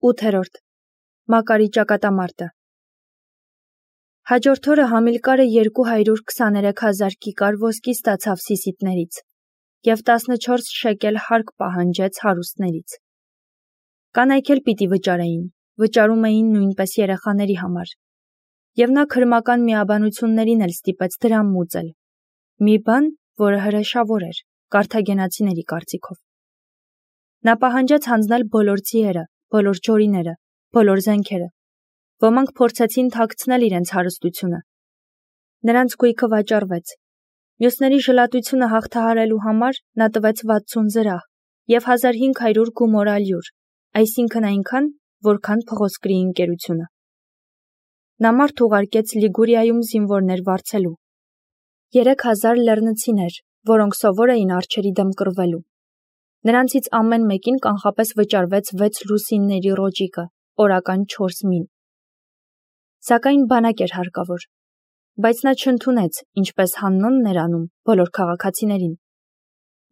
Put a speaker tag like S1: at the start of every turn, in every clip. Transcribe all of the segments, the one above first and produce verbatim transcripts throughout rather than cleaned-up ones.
S1: ութերորդ. Մակարի ճակատամարտը։ Հաջորդ օրը Համիլկարը երկու հարյուր քսաներեք հազար կիկար ոսկի ստացավ Սիսիթներից և տասնչորս շեկել հարկ պահանջեց հարուստներից։ Կանայք էլ պիտի վճարեին, վճարում էին նույնպես երեխաների համար։ Եվ նա քրմական միաբանություններին էլ ստիպեց դրամ մուծել, մի բան, որը հրեշավոր էր, կարթագենացիների կարծիքով։ Նա պահանջեց հանձնել բոլոր ձիերը, բոլոր ջորիները, բոլոր զենքերը։ Ոմանք փորձեցին թաքցնել իրենց հարստությունը։ Նրանց գույքը վաճառվեց։ Մյուսների ժլատությունը հաղթահարելու համար նա տվեց վաթսուն զրահ և հազար հինգ հարյուր գումոր ալյուր, այսինքն այնքան, որքան փղոսկրի ընկերությունը։ Նա մարդ ուղարկեց Լիգուրիայում զինվորներ վարձելու։ Երեք հազար լեռնցիներ, որոնք սովոր էին արջերի դեմ կռվելու։ Նրանցից ամեն մեկին կանխապես վճարվեց վեց լուսինների ռոճիկը, օրական չորս մին։ Սակայն բանակ էր հարկավոր, բայց նա չընդունեց, ինչպես Հաննոնն էր անում, բոլոր քաղաքացիներին։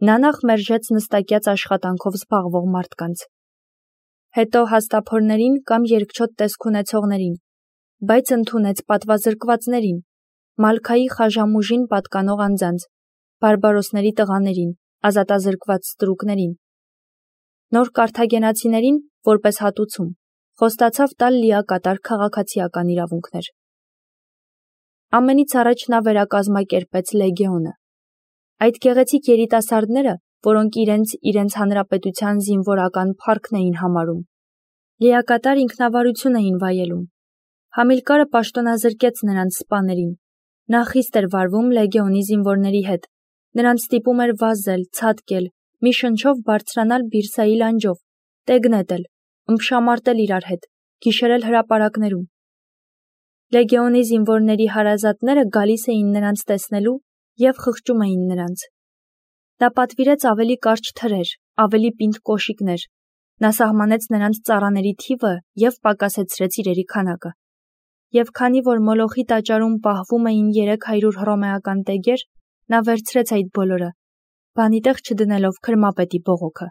S1: Նա նախ մերժեց նստակյաց աշխատանքով զբաղվող մարդկանց, հետո հաստափորներին կամ երկչոտ տեսք ունեցողներին, բայց ընդունեց պատվազրկվածներին, Մալքայի խաժամուժին պատկանող անձանց, բարբարոսների տղաներին, ազատազրկված ստրուկներին։ Նոր կարթագենացիներին, որպես հատուցում, խոստացավ տալ լիակատար քաղաքացիական իրավունքներ։ Ամենից առաջ նա վերակազմակերպեց լեգիոնը։ Այդ գեղեցիկ երիտասարդները, որոնք իրենց իրենց հանրապետության զինվորական փառքն էին համարում, լիակատար ինքնավարություն էին վայելում։ Համիլկարը պաշտոնազրկեց նրանց սպաներին։ Նա խիստ էր վարվում լեգիոնի զինվորների հետ, նրանց ստիպում էր վազել, ցատկել, մի շնչով բարձրանալ Բիրսայի լանջով, տեգնետել, ըմբշամարտել իրար հետ, գիշերել հրապարակներում։ Լեգիոնի զինվորների հարազատները գալիս էին նրանց տեսնելու և խղճում էին նրանց։ Նա պատվիրեց ավելի կարճ թրեր, ավելի պինդ կոշիկներ։ Նա սահմանեց նրանց ծառաների թիվը և պակասեցրեց իրերի քանակը։ Եվ քանի որ Մոլոխի տաճարում պահվում էին երեք հարյուր հռոմեական տեգեր, նա վերցրեց այդ բոլորը, բանի տեղ չդնելով քրմապետի բողոքը։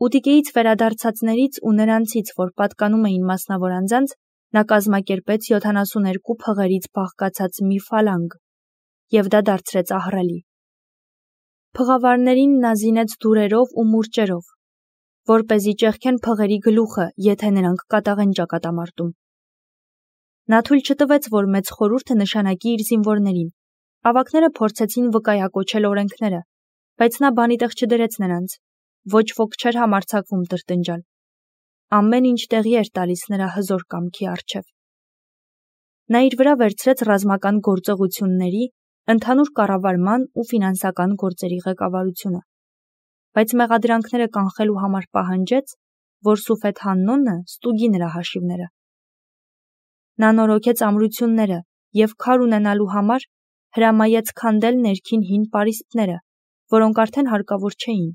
S1: Ուտիկեից վերադարձածներից ու նրանցից, որ պատկանում էին մասնավոր անձանց, նա կազմակերպեց յոթանասուներկու փղերից բաղկացած մի ֆալանգ, և դա դարձրեց ահռելի։ Փղավարներին նա զինեց դուրերով ու մուրճերով, որպեսզի ճեղքեն փղերի գլուխը, եթե նրանք կատաղեն ճակատամարտում։ Նա թույլ չտվեց, որ մեծ խորհուրդը նշանակի իր զինվորներին։ Ավագները փորձեցին վկայակոչել օրենքները, բայց նա բանի տեղ չդրեց նրանց։ Ոչ ոք չէր համարձակվում տրտնջալ։ Ամեն ինչ տեղի էր տալիս նրա հզոր կամքի առջև։ Նա իր վրա վերցրեց ռազմական գործողությունների, ընդհանուր կառավարման ու ֆինանսական գործերի ղեկավարությունը, բայց մեղադրանքները կանխելու համար պահանջեց, որ Սուֆեթ Հաննոնը ստուգի նրա հաշիվները։ Նա նորոգեց ամրությունները և քար ունենալու համար հրամայեց քանդել ներքին հին պարիսպները, որոնք արդեն հարկավոր չէին։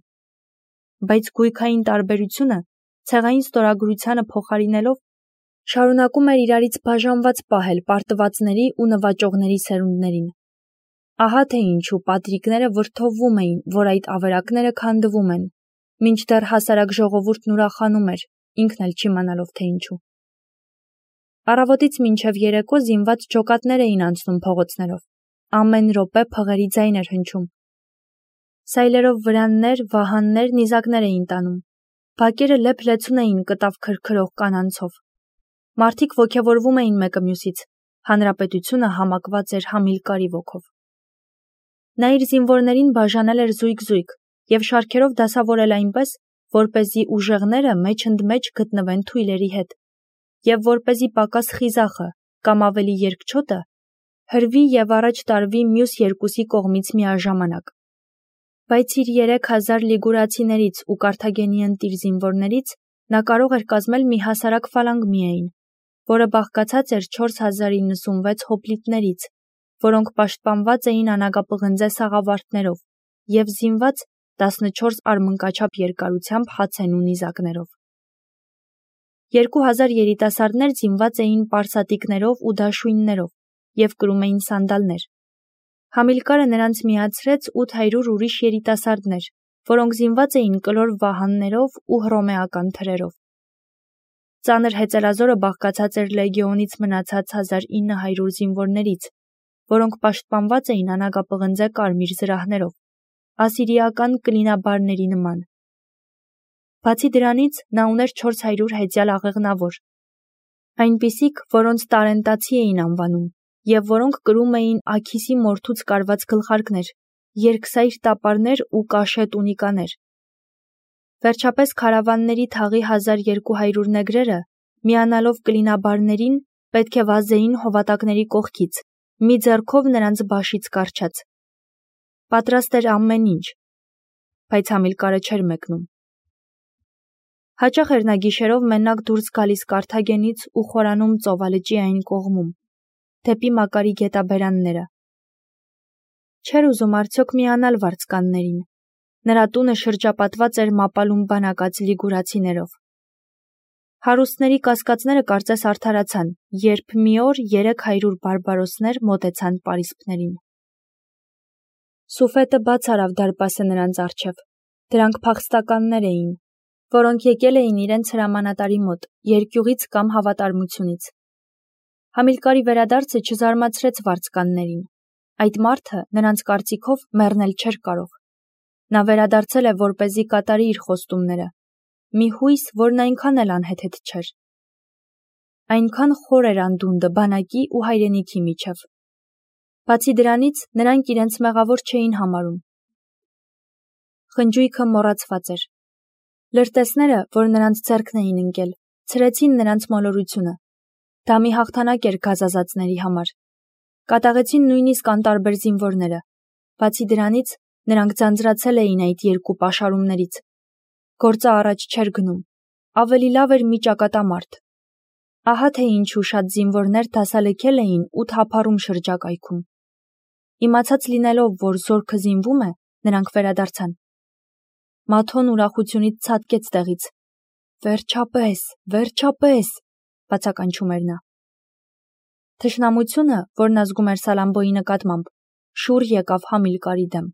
S1: Բայց գույքային տարբերությունը, ցեղային ստորագրությանը փոխարինելով, շարունակում էր իրարից բաժանված պահել պարտվածների ու նվաճողների սերունդներին։ Ահա թե ինչու պատրիկները վրդովվում էին, որ այդ ավերակները քանդվում են, մինչդեռ հասարակ ժողովուրդն ուրախանում էր, ինքն էլ չիմանալով թե ինչու։ Առավոտից մինչև երեկո զինված ջոկատներ էին անցնում փողոցներով, ամեն րոպե փղերի ձայն էր հնչում։ Սայլերով վրաններ, վահաններ, նիզակներ էին տանում, բակերը լեփ-լեցուն էին կտավ քրքրող կանանցով։ Մարդիկ ոգևորվում էին մեկը մյուսից, հանրապետությունը համակված էր Համիլկարի ոգով։ Նա իր զինվորներին բաժանել էր զույգ-զույգ և շարքերով դասավորել այնպես, որպեսզի ուժեղները մեջ-ընդմեջ գտնվեն թույլերի հետ, և որպեսզի պակաս խիզախը կամ ավելի երկչոտը հրվի և առաջ տարվի մյուս երկուսի կողմից միաժամանակ։ Բայց իր երեք հազար լիգուրացիներից ու Կարթագենի ընտիր զինվորներից նա կարող էր կազմել մի հասարակ ֆալանգ միայն, որը բաղկացած էր չորս հազար իննսունվեց հոպլիտներից, որոնք պաշտպանված էին անագապղնձե սաղավարտներով և զինված տասնչորս արմնկաչափ երկարությամբ հացենու նիզակներով։ Երկու հազար երիտասարդներ զինված էին պարսատիկներով ու դաշույններով և կրում էին սանդալներ։ Համիլկարը նրանց միացրեց ութ հարյուր ուրիշ երիտասարդներ, որոնք զինված էին կլոր վահաններով ու հռոմեական թրերով։ Ծանր հեծելազորը բաղկացած էր լեգիոնից մնացած հազար ինը հարյուր զինվորներից, որոնք պաշտպանված էին անագապղնձե կարմիր զրահներով, ասիրիական կլինաբարների նման։ Բացի դրանից նա ուներ չորս հարյուր հեծյալ աղեղնավոր, այնպիսիք, որոնց տարենտացի էին անվանում, և որոնք կրում էին Աքիսի մորթուց կարված գլխարկներ, երկսայր տապարներ ու կաշե տունիկաներ։ Վերջապես քարավանների թաղի հազար երկու հարյուր նեգրերը, միանալով կլինաբարներին, պետք է վազեին հովատակների կողքից, մի ձեռքով նրանց բաշից կառչած։ Պատրաստ էր ամեն ինչ, բայց Համիլկարը չէր մեկնում։ Հաճախ էր նա գիշերով մենակ դուրս գալիս Կարթագենից ու խորանում ծովալճի այն կողմում, դեպի Մակարի գետաբերանները։ Չէր ուզում արդյոք միանալ վարձկաններին։ Նրա տունը շրջապատված էր մապալում բանակած լիգուրացիներով։ Հարուստների կասկածները կարծես արդարացան, երբ մի օր երեք հարյուր բարբարոսներ մոտեցան պարիսպներին։ Սուֆետը բաց արավ դարպասը նրանց առջև։ Դրանք փախստականներ էին, որոնք եկել էին իրենց հրամանատարի մոտ, երկյուղից կամ հավատարմությունից։ Համիլկարի վերադարձը չզարմացրեց վարձկաններին։ Այդ մարդը, նրանց կարծիքով, մեռնել չէր կարող։ Նա վերադարձել է, որպեսզի կատարի իր խոստումները։ Մի հույս, որն այնքան էլ անհեթեթ չէր։ Այնքան խոր էր անդունդը բանակի ու հայրենիքի միջև։ Բացի դրանից, նրանք իրենց մեղավոր չէին համարում։ Խնջույքը մոռացված էր։ Լրտեսները, որ նրանց ձեռքն էին ընկել, ցրեցին նրանց մոլորությունը։ Դա մի հաղթանակ էր գազազածների համար։ Կատաղեցին նույնիսկ անտարբեր զինվորները։ Բացի դրանից, նրանք ձանձրացել էին այդ երկու պաշարումներից։ Գործը առաջ չէր գնում։ Ավելի լավ էր մի ճակատամարտ։ Ահա թե ինչու շատ զինվորներ դասալքել էին ու թափառում շրջակայքում։ Իմացած լինելով, որ զորքը զինվում է, նրանք վերադարձան։ Մաթոն ուրախությունից ցատկեց տեղից։ Վերջապես, վերջապես, բացականչում էր նա։ Թշնամությունը, որն ազգում էր Սալամբոյի նկատմամբ, շուռ եկավ Համիլկարի դեմ։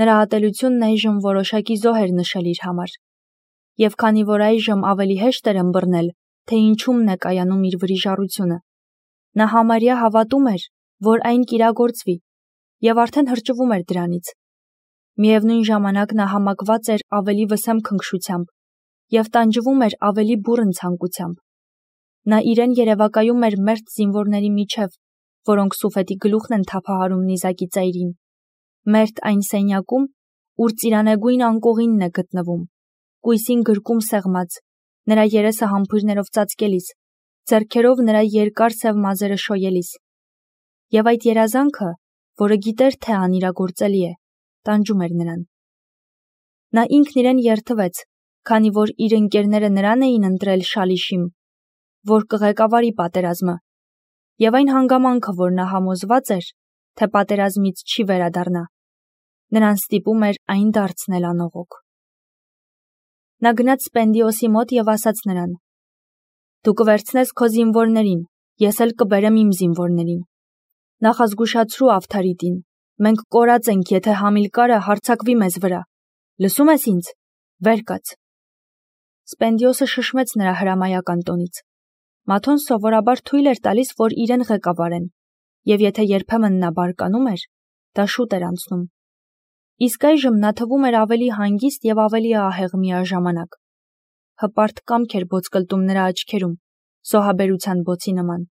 S1: Նրա ատելությունն այժմ որոշակի զոհ էր նշել իր համար։ Եվ քանի որ այժմ ավելի հեշտ էր ըմբռնել, թե ինչումն է կայանում իր վրիժառությունը, նա համարյա հավատում էր, որ այն կիրագործվի, և արդեն հրճվում էր դրանից։ Միևնույն ժամանակ նա համակված էր ավելի վսեմ քնքշությամբ և տանջվում էր ավելի բուռն ցանկությամբ։ Նա իրեն երևակայում էր մերթ զինվորների միջև, որոնք Սուֆետի գլուխն են թափահարում նիզակի ծայրին, մերթ այն սենյակում, ուր ծիրանեգույն անկողինն է գտնվում, կույսին գրկում սեղմած, նրա երեսը համբույրներով ծածկելիս, ձեռքերով նրա երկար սև մազերը շոյելիս։ Եվ այդ երազանքը, որը գիտեր, թե անիրագործելի է, տանջում էր նրան։ Նա ինքն իրեն երդվեց, քանի որ իր ընկերները նրան էին ընտրել Շալիշիմ, որ կղեկավարի պատերազմը, և այն հանգամանքը, որ նա համոզված էր, թե պատերազմից չի վերադառնա, նրան ստիպում էր այն դարձնել անողոք։ Նա գնաց Սպենդիոսի մոտ և ասաց նրան. «Դու կվերցնես քո զինվորներին, ես էլ կբերեմ իմ զինվորներին։ Նախազգուշացրու Ավթարիտին, մենք կորած ենք, եթե Համիլկարը հարձակվի մեզ վրա։ Լսում ես ինձ, վեր կաց»։ Սպենդիոսը շշմեց նրա հրամայական տոնից։ Մաթոն սովորաբար թույլ էր տալիս, որ իրեն ղեկավարեն, և եթե երբեմն նա բարկանում էր, դա շուտ էր անցնում։ Իսկ այժմ նա թվում էր ավելի հանգիստ և ավելի ահեղ միաժամանակ։ Հպարտ կամք էր ոսկլտում նրա աչքերում, զոհաբերության բոցի նման։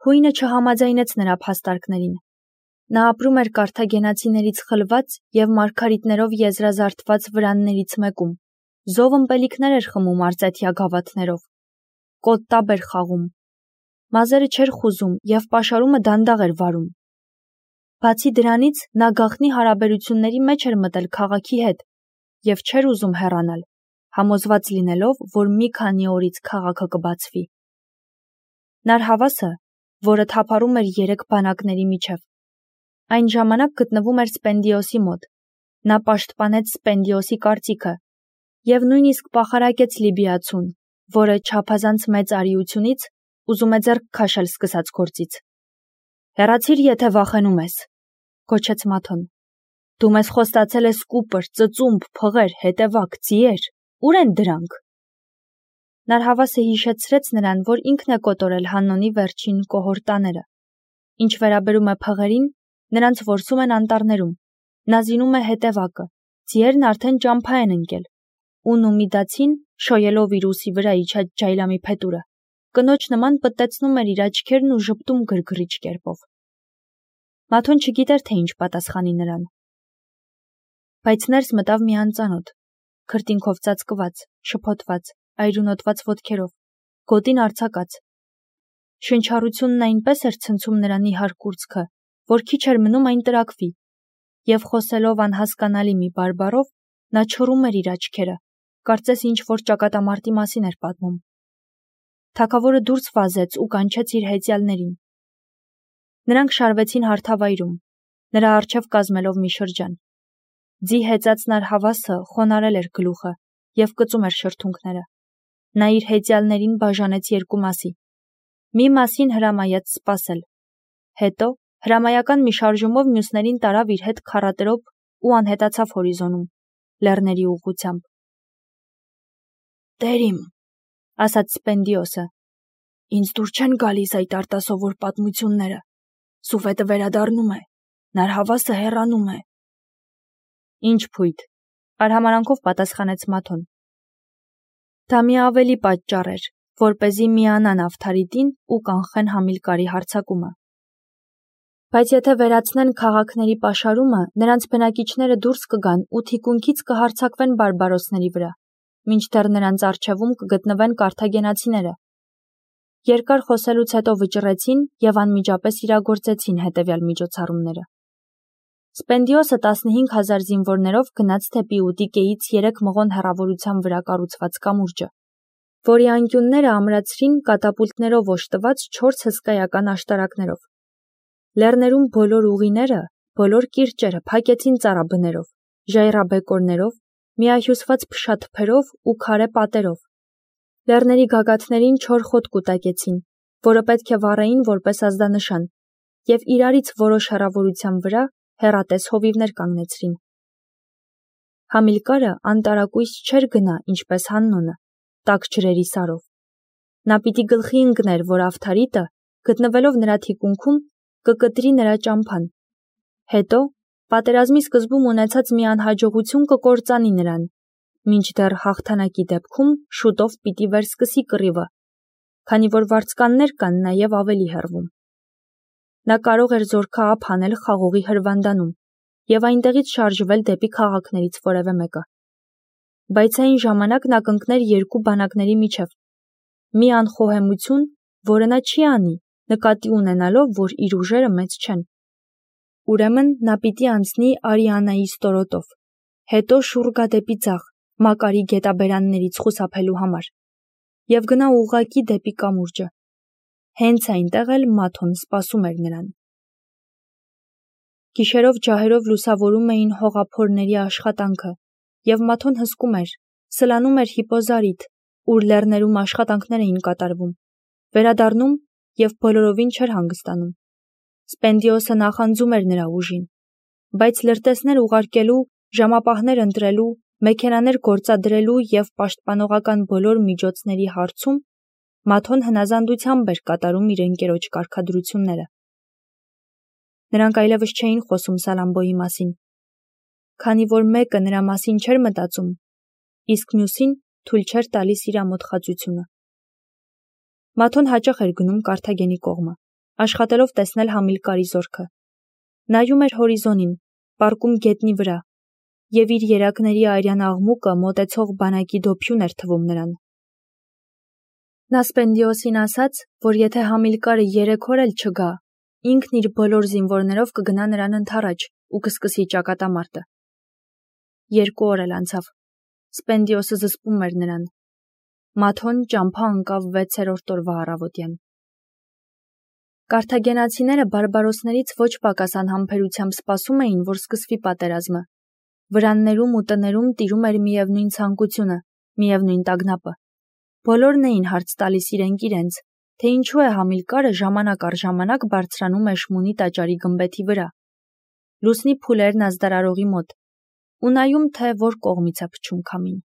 S1: Հույնը չհամաձայնեց նրա փաստարկներին։ Նա ապրում էր կարթագենացիներից խլված և մարգարիտներով եզրազարդված վրաններից մեկում, զով ըմպելիքներ էր խմում արծեթյա գավաթներով, կոտտաբ էր խաղում, մազերը չէր խուզում և պաշարումը դանդաղ էր վարում։ Բացի դրանից, նա գաղտնի հարաբերությունների մեջ էր մտել քաղաքի հետ և չէր ուզում հեռանալ, համոզված լինելով, որ մի քանի օրից քաղաքը կբացվի։ Նարհավասը, որը թափառում էր երեք բանակների միջև, այն ժամանակ գտնվում էր Սպենդիոսի մոտ։ Նա պաշտպանեց Սպենդիոսի կարծիքը և նույնիսկ պախարակեց լիբիացուն, որը չափազանց մեծ արիությունից ուզում է ձեռք քաշել սկսած գործից։ «Հեռացիր, եթե վախենում ես», գոչեց Մաթոն։ «Դու մեզ խոստացել ես կուպր, ծծումբ, փղեր, հետևակ, ձիեր, ուր են դրանք»։ Նարհավասը հիշեցրեց նրան, որ ինքն է կոտորել Հաննոնի վերջին կոհորտաները։ Ինչ վերաբերում է փղերին, նրանց որսում են անտառներում, նա զինում է հետևակը, ձիերն արդեն ճամփա են ընկել, ու Նումիդացին, շոյելով իր ուսի վրա իջած ջայլամի փետուրը, կնոջ նման պտտեցնում էր իր աչքերն ու ժպտում գրգռիչ կերպով։ Մաթոն չգիտեր, թե ինչ պատասխանի նրան։ Բայց ներս մտավ մի անծանոթ, քրտինքով ծածկված, շփոթված, այրունոտված ոտքերով, գոտին արձակած։ Շնչառությունն այնպես էր ցնցում նրան իհար կուրծքը, որ քիչ էր մնում այն տրակվի, և խոսելով անհասկանալի մի բարբառով, նա չռում էր իր աչքերը, կարծես ինչ-որ ճակատամարտի մասին էր պատմում։ Թագավորը դուրս վազեց ու կանչեց իր հեծյալներին։ Նրանք շարվեցին հարթավայրում, նրա առջև կազմելով մի շրջան։ Ձի հեծած նարհավասը խոնարել էր գլուխը և կծում էր շրթունքները։ Նա իր հեծյալներին բաժանեց երկու մասի։ Մի մասին հրամայեց սպասել։ Հետո հրամայական մի շարժումով մյուսներին տարավ իր հետ քառատրոփ ու անհետացավ հորիզոնում, լեռների ուղղությամբ։ «Տեր իմ», ասաց Սպենդիոսը, «ինձ դուր չեն գալիս այդ արտասովոր պատմությունները։ Սուվետը վերադառնում է, նարհավասը հեռանում է»։ «Ինչ փույթ», արհամարանքով պատասխանեց Մաթոն։ Դա մի ավելի պատճառ էր, որպեսզի միանան Ավթարիտին ու կանխեն Համիլկարի հարձակումը։ Բայց եթե վերացնեն քաղաքների պաշարումը, նրանց բնակիչները դուրս կգան ու թիկունքից կհարձակվեն բարբարոսների վրա, մինչդեռ նրանց առջևում կգտնվեն կարթագենացիները։ Երկար խոսելուց հետո վճռեցին և անմիջապես իրագործեցին հետևյալ միջոցառումները։ Սպենդիոսը տասնհինգ հազար զինվորներով գնաց դեպի Ուտիկեից երեք մղոն հեռավորության վրա կառուցված կամուրջը, որի անկյունները ամրացրին կատապուլտներով օժտված չորս հսկայական աշտարակներով։ Լեռներում բոլոր ուղիները, բոլոր կիրճերը փակեցին ծառաբներով, ժայռաբեկորներով, միահյուսված փշաթփերով ու քարե պատերով։ Լեռների գագաթներին չոր խոտ կուտակեցին, որը պետք է վառեին որպես ազդանշան, և իրարից որոշ հեռավորության վրա հեռատես հովիվներ կանգնեցրին։ Համիլկարը անտարակույս չէր գնա, ինչպես Հաննոնը, տաք ջրերի սարով։ Նա պիտի գլխի ընկներ, որ Ավթարիտը, գտնվելով նրա թիկունքում, կկտրի նրա ճամփան։ Հետո, պատերազմի սկզբում ունեցած մի անհաջողություն կկործանի նրան, մինչդեռ հաղթանակի դեպքում շուտով պիտի վերսկսի կռիվը, քանի որ վարձկաններ կան նաև ավելի հեռվում։ Նա կարող էր զորքը ափ անել խաղողի հրվանդանում և այնտեղից շարժվել դեպի քաղաքներից որևէ մեկը։ Բայց այն ժամանակ նա կընկներ երկու բանակների միջև։ Մի անխոհեմություն, որը նա չի անի, նկատի ունենալով, որ իր ուժերը մեծ չեն։ Ուրեմն նա պիտի անցնի Արիանայի ստորոտով, հետո շուռ գա դեպի ձախ, Մակարի գետաբերաններից խուսափելու համար, և գնա ուղղակի դեպի կամուրջը։ Հենց այնտեղ էլ Մաթոն սպասում էր նրան։ Գիշերով ջահերով լուսավորում էին հողափորների աշխատանքը, և Մաթոն հսկում էր, սլանում էր Հիպոզարիդ, ուր լեռներում աշխատանքներ էին կատարվում, վերադառնում և բոլորովին չէր հանգստանում։ Սպենդիոսը նախանձում էր նրա ուժին, բայց լրտեսներ ուղարկելու, ժամապահներ ընտրելու, մեքենաներ գործադրելու և պաշտպանողական բոլոր միջոցների հարցում Մաթոն հնազանդությամբ էր կատարում իր ընկերոջ կարգադրությունները։ Նրանք այլևս չէին խոսում Սալամբոյի մասին, քանի որ մեկը նրա մասին չէր մտածում, իսկ մյուսին թույլ չէր տալիս իր ամոթխածությունը։ Մաթոն հաճախ էր գնում Կարթագենի կողմը, աշխատելով տեսնել Համիլկարի զորքը։ Նայում էր հորիզոնին, պառկում գետնի վրա, և իր երակների արյան աղմուկը մոտեցող բանակի դոփյուն էր թվում նրան։ Նա Սպենդիոսին ասաց, որ եթե Համիլկարը երեք օր էլ չգա, ինքն իր բոլոր զինվորներով կգնա նրան ընդառաջ ու կսկսի ճակատամարտը։ Երկու օր էլ անցավ։ Սպենդիոսը զսպում էր նրան։ Մաթոն ճամփա ընկավ վեցերորդ օրվա առավոտյան։ Կարթագենացիները բարբարոսներից ոչ պակաս անհամբերությամբ սպասում էին, որ սկսվի պատերազմը։ Վրաններում ու տներում տիրում էր միևնույն ցանկությունը, միևնույն տագնապը։ Բոլորն էին հարց տալիս իրենք իրենց, թե ինչու է Համիլկարը ժամանակ առ ժամանակ բարձրանում Էշմունի տաճարի գմբեթի վրա, լուսնի փուլերն ազդարարողի մոտ, ու նայում, թե որ կողմից է փչում քամին։